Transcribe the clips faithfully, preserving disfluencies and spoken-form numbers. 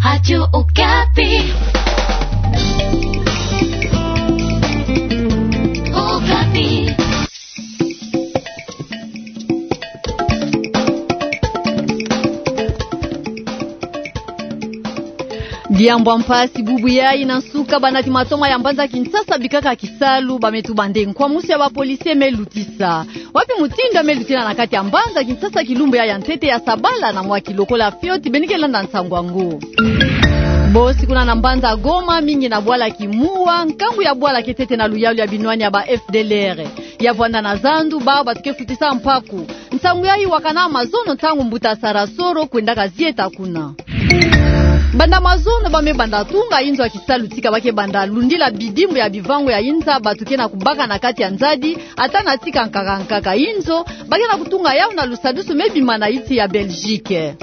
Radio Okapi. Okapi. Diambu ya mpasi bubu yayi na nsuka banati matoma ya mbanza Kinshasa bikaka kisalu, ba me tuba nde nkwamusu ya ba policiers me lutisa. Wapi mutindu ya me lutila na kati ya mbanza Kinshasa kilumbu yayi ya ntete ya sabala? Na mwa ki lokola fioti beno ke landa nsangu yango. Bosi kuna na mbanza Goma, mingi na bwala Kimuwa, nkangu ya bwala ke tete na luyalu ya binwani ya ba F D L R. Ya vwanda na zandu, bawu bantu ke futisa mpaku. Nsangu yayi wakana mazono ntangu mbuta Sarasoro kwendaka zieta kuna. Banda mazono ba me banda tunga inzo ya kisalu tika ba ke banda lundila bidimbu ya bivangu ya inza, bantu ke na kubaka na kati ya nzadi, ata na tika nkaka nkaka inzo, ba ke na kutunga yawu na lusadusu me bima na insi ya Belgique.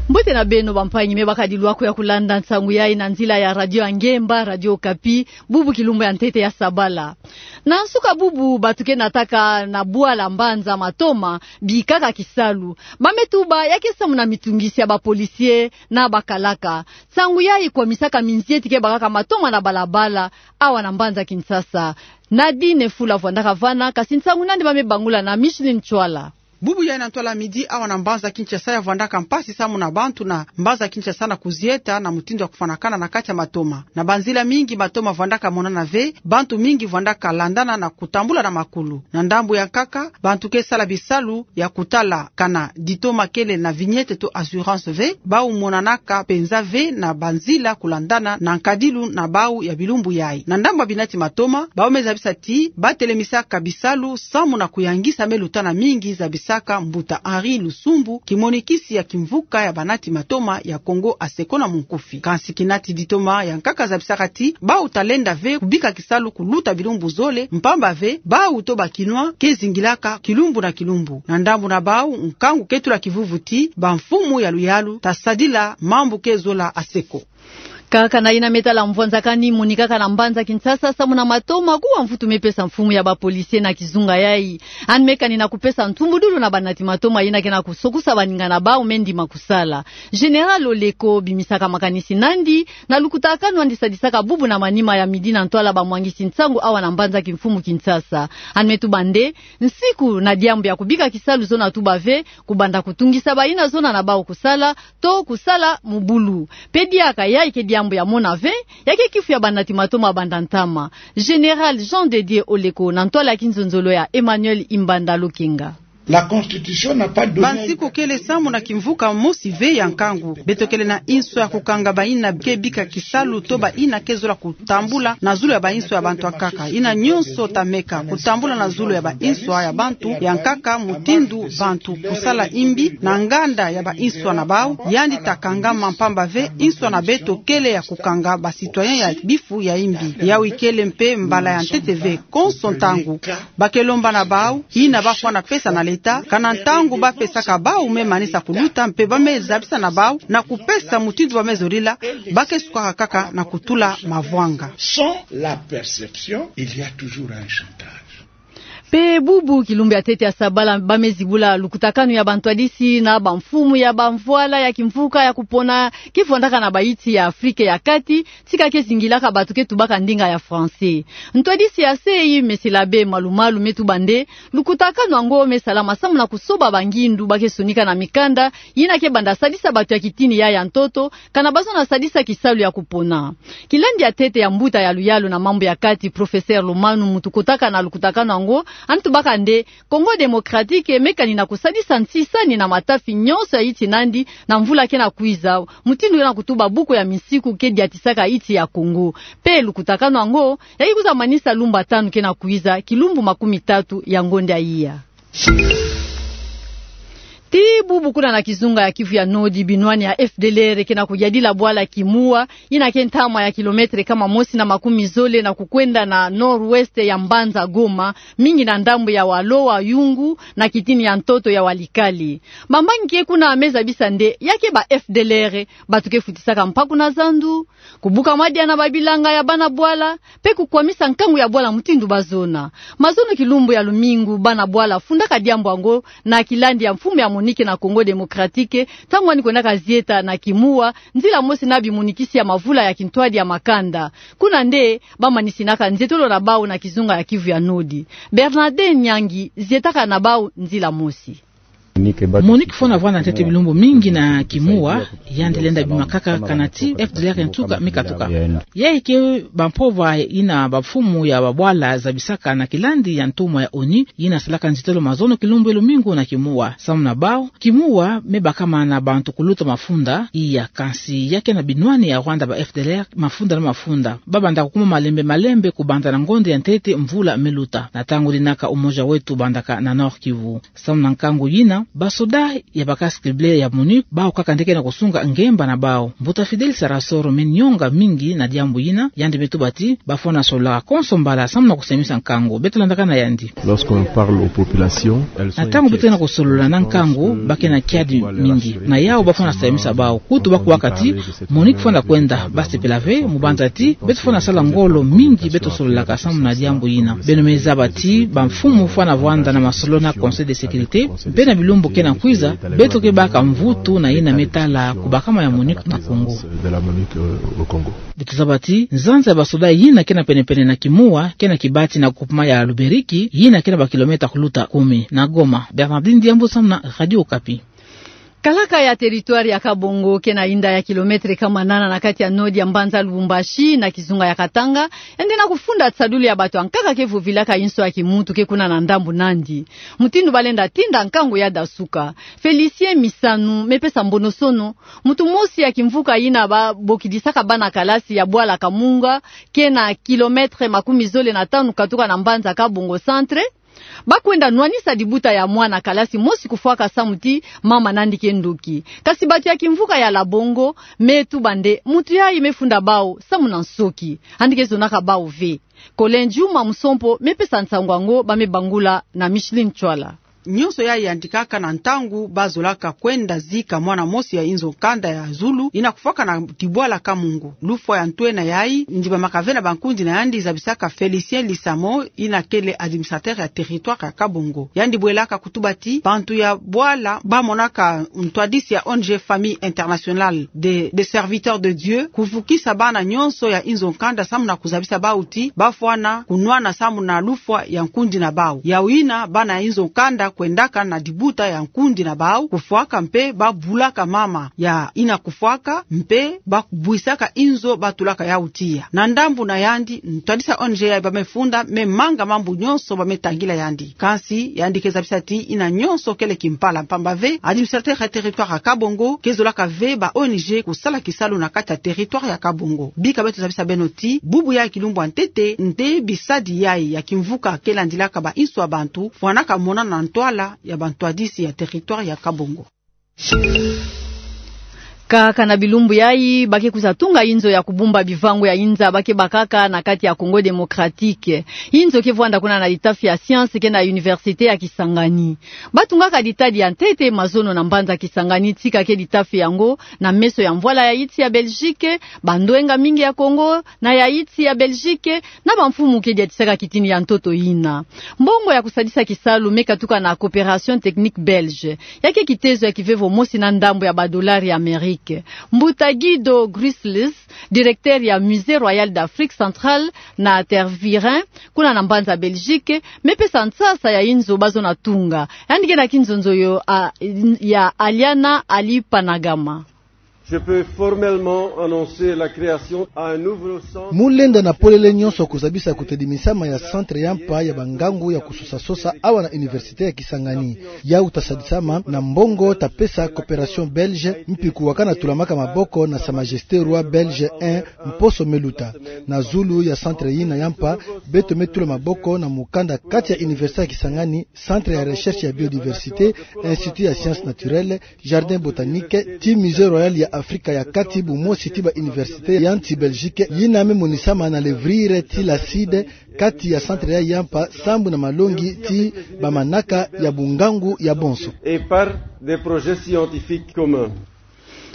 Mbote na beno bampangi me bakadi lwaku ya kulanda nsangu yayi na nzila ya radio ya ngemba, Radio Okapi, bubu kilumbu ya ntete ya sabala. Na nsuka bubu, bantu ke nataka na bwala mbanza matoma bikaka kisalu, ba me tuba ya ke samu na mitungisi ya ba policiers na bakalaka. Nsangu yayi kwamisaka minzieti ke bakaka matoma na balabala, awa na mbanza Kinshasa. Nadine Fula vwandaka vana, kasi nsangu nandi ba me bangula na Micheline Ntsoila. Bubu yayi na ntwala midi awa na mbanza Kinshasa ya vwandaka mpasi samu na bantu na mbanza Kinshasa na kuzieta na mutindu ya kufwanakana na kati ya matoma. Na banzila mingi matoma vwandaka monana ve, bantu mingi vwandaka landana na kutambula na makulu. Na ndambu ya nkaka, bantu ke sala bisalu ya kutala kana ditoma kele na vignette to assurance ve, bawu monanaka mpenza ve na banzila kulandana na nkadilu na bawu ya bilumbu yayi. Na ndambu ya binati matoma, bawu me zabisa ti ba telemisaka bisalu samu na kuyangisa me lutana mingi, zabisaka mbuta Henri Lusumbu, kimonikisi ya kimvuka ya banati matoma ya Kongo Aseko na munkufi. Kansi kinati ditoma ya nkaka zabisaka ti bawu ta lenda ve kubika kisalu kuluta bilumbu zole, mpamba ve bawu to ba Kinois ke zingilaka kilumbu na kilumbu. Na ndambu na bawu, nkangu ke tula kivuvu ti bamfumu ya luyalu ta sadila mambu ke zola aseko. Kaka na yina me tala mvwanzakani monikaka na mbanza Kinshasa samu na matoma, kuwa mvutu me pesa mfumu ya ba policiers na kizunga yayi. Yandi me kani na kupesa ntumbudulu na banati matoma yina ke na kusokusa baninga na bawu me ndima kusala. Général Oleko bimisaka makanisi nandi na lukutakanu yandi sadisaka bubu na manima ya midi na ntwala bamwangisi nsangu awa na mbanza kimfumu Kinshasa. Yandi me tuba nde nsiku na diambu ya kubika kisalu zona tuba ve, kubanda kutungisa bayina zona na bawu kusala, to kusala mubulu. Mpe diaka yayi ke diambu ya mona ve, ya ke kifu ya banati matoma banda ntama. Général Jean de Dieu Oleko na ntwala ya kinzonzolo ya Emmanuel Imbanda Lokenga. La Constitution n'a pas donné... Bansiku kele samu na kimvuka mosi ve ya nkangu. Beto kele na inso ya kukanga bayina ke bika kisalu to bayina ke zola kutambula na zulu ya bainso ya bantu ya nkaka. Yina nyonso ta meka kutambula na zulu ya bainso ya bantu ya nkaka, mutindu bantu kusala imbi na nganda ya bainso na bawu, yandi ta kangama, mpamba ve inso na beto kele ya kukanga ba citoyens ya bifu ya imbi. Yawu ikele mpe mbala ya ntete ve, konso ntangu ba ke lomba na bawu yina ba fwana pesa na l'État, kana ntangu ba pesaka bawu me manisa kuluta, mpe ba me zabisa na bawu na kupesa mutindu ba me zolila, ba ke sukaka kaka na kutula mavwanga. Sans la perception, il y a toujours un chantage. Mpe bubu kilumbu ya ntete ya sabala ba me zibula lukutakanu ya bantwadisi na bamfumu ya bamvwala ya kimvuka ya kupona ke vwandaka na bainsi ya Afrika ya Kati, tika ke zingilaka bantu ke tubaka ndinga ya français. Ntwadisi ya C E I, Monsieur l'Abbé Malumalu, me tuba nde lukutakanu yango me salama samu na kusoba bangindu ba ke sonika na mikanda yina ke banda sadisa bantu ya kitini yayi ya ntoto, kana ba zona sadisa kisalu ya kupona. Kilandi ya ntete ya mbuta ya luyalu na mambu ya kati, Professeur Lomanu, mutu kotaka na lukutakanu yango, yandi tubaka nde Congo Démocratique me kani na kusadisa nsisani na matafi nyonso ya insi nandi na mvula ke na kwiza, mutindu ke na kutuba buku ya minsiku ke diatisaka insi ya Congo. Mpe lukutakanu yango ya ke kwiza manisa lumbu tanu ke na kwiza, kilumbu makumi tatu ya ngonda iya. Ti bubu kuna na kizunga ya Kivu ya Nord, binwani ya F D L R ke na kuyadila bwala Kimuwa, yina ke ntama ya kilomètre kama mosi na makumi zole na kukwenda na nord-ouest ya mbanza Goma, mingi na ndambu ya Walo wa Yungu, na kitini ya ntoto ya Walikale. Bampangi ke kuna me zabisa nde ya ke ba F D L R, bantu ke futisaka mpaku na zandu, kubuka madia na babilanga ya bana bwala, mpe kukwamisa nkangu ya bwala mutindu ba zona. Mazono kilumbu ya lumingu, bana bwala fundaka diambu yango na kilandi ya mfumu ya MONUC na Congo Démocratique, ntangu wani kwendaka zieta na Kimoua, nzila mosi na bimonikisi ya mavula ya kintwadi ya makanda. Kuna nde bamanisinaka nzietolo na bau na kizunga ya Kivu ya Nord. Bernardin Nyangi zietaka na bau nzila mosi. MONUC fwana vwanda ntete bilumbu mingi na Kimoua, yandi lenda bimakaka kana ti FDLR ntuka me katuka. Yayi ke bampovwa yina bamfumu ya babwala zabisaka na kilandi ya ntumwa ya ONU, yina salaka nzietolo mazono kilumbu ya lumingu na Kimoua. Samu na bau, Kimoua me bakama na bantu kuluta mafunda, iya kansi ya ke na binwani ya Rwanda ba FDLR, mafunda na mafunda. Babanda kukuma malembe malembe kubanza na ngonde ya ntete mvula me luta. Na ntangu dinaka Umoja Wetu bandaka na Nord-Kivu. Samu na nkangu yina, basoda ya ba casques bleus ya MONUC, bau kaka nde ke na kusunga ngemba na bau. Mbuta Fidèle Sarasoro me nionga mingi na diambu yina, yandi me tuba ti, bafwana solola konso mbala samu na kusemisa nkangu. Beto landaka na yandi. Lorsqu'on parle aux populations, elles sont inquiètes. Na ntangu beto ke na kusolola na nkangu, ba ke na kiadi mingi. Na yau bafwana semisa bau, kutu bakuwaka ti, MONUC fwana kwenda, basepela ve, mu banza ti, beto fwana sala ngolo mingi, beto sololaka samu na diambu yina. Beno me zaba ti, bamfumu fwana vwanda na masolo na Conseil de sécurité, mpe na bilumbu ke na kwiza, beto ke baka mvutu na yina me tala kubakama ya MONUC na Congo. Beto zaba ti, nzanza ya basoda yina ke na penepene na Kimoua, ke na kibati na groupement ya Luberiki, yina ke na ba kilomètres kuluta kumi. Na Goma, Bernardin Diambu samu na Radio Okapi. Kalaka ya territoire ya Kabongo ke na inda ya kilomètres kama nana na kati ya nord ya mbanza Lubumbashi na kizunga ya Katanga, yandi na kufunda tisadulu ya bato ya nkaka ke vovilaka inso ya kimuntu ke kuna na ndambu nandi. Mutindu balenda tinda nkangu ya dasuka. Félicien Misanu me pesa mbonosono, muntu mosi ya kimvuka yina babokidisaka bana kalasi ya bwala Kamunga, ke na kilomètres makumi zole na tanu katuka na mbanza Kabongo Centre, bakwenda nwanisa dibuta ya mwana kalasi mosi kufwaka samu ti mama nandi ke ndoki. Kasi bato ya kimvuka ya Labongo me tuba nde muntu yayi me funda bau samu na nsoki. Yandi ke zonaka bau ve. Colin Juma Musompo me pesa nsangu yango, ba me bangula na Micheline Chwala. Nyonso yayi yandikaka na ntangu bazolaka kwenda zika mwana mosi ya inzo nkanda ya zulu yina kufwaka na dibwala Kamungu. Lufwa ya ntwenia yayi, ndibamaka ve na bankundi na yandi zabisaka Félicien Lisamo, yina kele administrateur ya territoire ya Kabongo. Yandi bwelaka kutuba ti, bantu ya bwala bamonaka ntwadisi ya O N G Famille Internationale de, de Serviteurs de Dieu, kuvukisa bana nyonso ya inzo nkanda samu na kuzabisa bau ti, bafwana kunwana samu na lufwa ya nkundi na bau. Yau yina bana ya inzo nkanda kwendaka na dibuta ya nkundi na bau, kufwaka mpe babulaka mama ya yina kufwaka, mpe babwisaka inzo batulaka yau tiya. Na ndambu na yandi, ntwadisi ya O N G yayi ba me funda, me manga mambu nyonso ba me tangila yandi. Kansi, yandi ke zabisa ti yina nyonso kele kimpala mpamba ve, administrateur ya territoire ya Kabongo ke zolaka ve ba O N G kusala kisalu na kati ya territoire ya Kabongo. Bika beto zabisa beno ti, bubu yayi kilumbu ya ntete, nde bisadi yayi ya kimvuka ke landilaka ba inso ya bantu, fwanaka monana na ntwala ya bantwadisi ya territoire ya Kabongo. Kaka na bilumbu yayi, ba ke kwiza tunga inzo ya kubumba bivangu ya inza ba ke bakaka na kati ya Congo Démocratique. Inzo ke vwanda kuna na litafi ya science ke na université ya Kisangani. Batungaka ditadi ya ntete mazono na mbanza Kisangani, tika ke litafi yango na meso ya mvwala ya insi ya Belgique, bandwenga mingi ya Congo, na ya insi ya Belgique, na bamfumu ke diatisaka kitini ya ntoto yina. Mbongo ya kusadisa kisalu me katuka na Coopération Technique Belge. Ya ke kitezo ya kivevo mosi na ndambu ya ba dollars ya Amérique. Mbuta Guido Grüssels, directeur ya Musée Royal d'Afrique Centrale na Tervuren, kuna na mbanza Belgique, me pesa nsasa ya inzo bazo na tunga. Yandi ke na kinzonzo yo, a, ya Aliana Ali Panagama. Je peux formellement annoncer la création d'un nouveau centre. Mu lenda na polele nyonso kuzabisa kutedimisama ya centre ya mpa ya bangangu ya kusosasosa awa na université ya Kisangani. Yau ta sadisama na mbongo ta pesa Coopération Belge, mpi kuwakana tulamaka maboko na Sa Majesté Roi Belge un, mposo me luta. Na zulu ya centre yina ya mpa, beto me tula maboko na mukanda kati ya université ya Kisangani, centre ya recherche ya biodiversité, institut ya sciences naturelles, jardin botanique, ti Musée Royal ya Afrika ya Kati, bumosi ti ba université ya nsi Belgique, yina me monisama na Levrier ti la Cide, kati ya centre yayi ya mpa, sambu na malongi ti bamanaka ya bungangu ya bonso. Et par des projets scientifiques communs.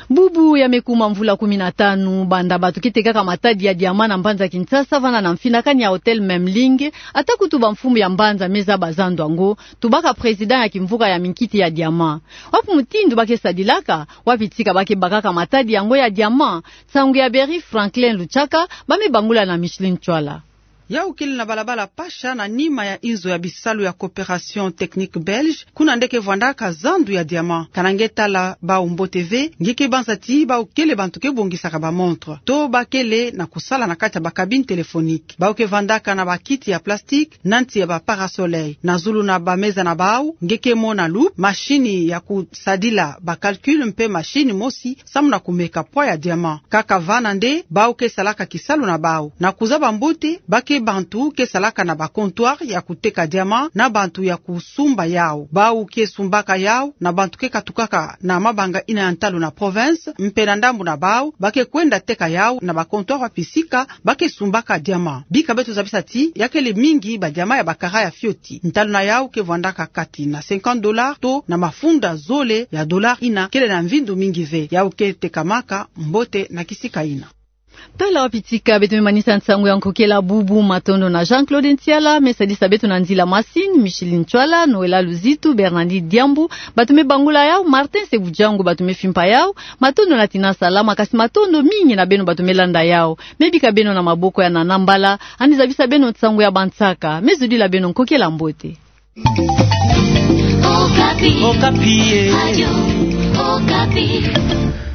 Bubu ya me kuma mvula kumi na tanu banda bato ke tekaka matadi ya diamant na mbanza Kinshasa, vanda na mfinakani ya Hôtel Memling, ata kutu bamfumu ya mbanza me zaba zandu yango, tubaka président ya kimvuka ya minkiti ya diamant. Wapi mutindu ba ke sadilaka, wapi tika ba ke bakaka matadi yango ya diamant? Nsangu ya Berry Franklin Luchaka, ba me bangula na Micheline Chwala. Yau kele na balabala Pasha, na nima ya inzo ya bisalu ya Coopération Technique Belge, kuna nde ke vwandaka zandu ya diamant. Kana nge tala bau mbote ve, nge ke banza ti bau kele bantu ke bongisaka ba montre, to ba kele na kusala na kati ya ba cabine téléphonique. Bau ke vandaka na bakiti ya plastique, na nti ya ba parasoleil, na zulu na bameza na bau nge ke mona loupe, mashini ya kusadila ba calcul mpe mashini mosi samu na kumeka poids ya diamant. Kaka vana nde bau ke salaka kisalu na bau. Na kuzaba mbote, ba ke bantu ke salaka na ba comptoir ya kuteka diamant na bantu ya kusumba yau. Bau ke sumbaka yau na bantu ke katukaka na mabanga ina ya ntalu na province, mpe na ndambu na bau ba ke kwenda teka yau na ba comptoir wa pisika ba ke sumbaka diamant. Bika beto zabisa ti ya kele mingi ba diamant ya ba kara ya fioti. Ntalu na yau ke vwandaka kati na cinquante dollars to na mafunda zole ya dollars, ina kele na mvindu mingi ve. Yau ke tekamaka mbote na kisika ina. Tala wapi tika beto me manisa nsangu ya nkokela bubu. Matondo na Jean-Claude Ntiala, me sadisa beto na nzila masini, Micheline Chwala, Noëlla Luzitu, Bernadette Diambu, bato me bangula yau, Martin Sebujangu, bato me fimpa yau. Matondo na Tina Salama, kasi matondo mingi na beno bato me landa yau. Me bika beno na maboko ya Nana Mbala, andi zabisa beno nsangu ya bansaka. Me zudila beno nkokela mbote. Okapi. Okapi, eh. Radio Okapi.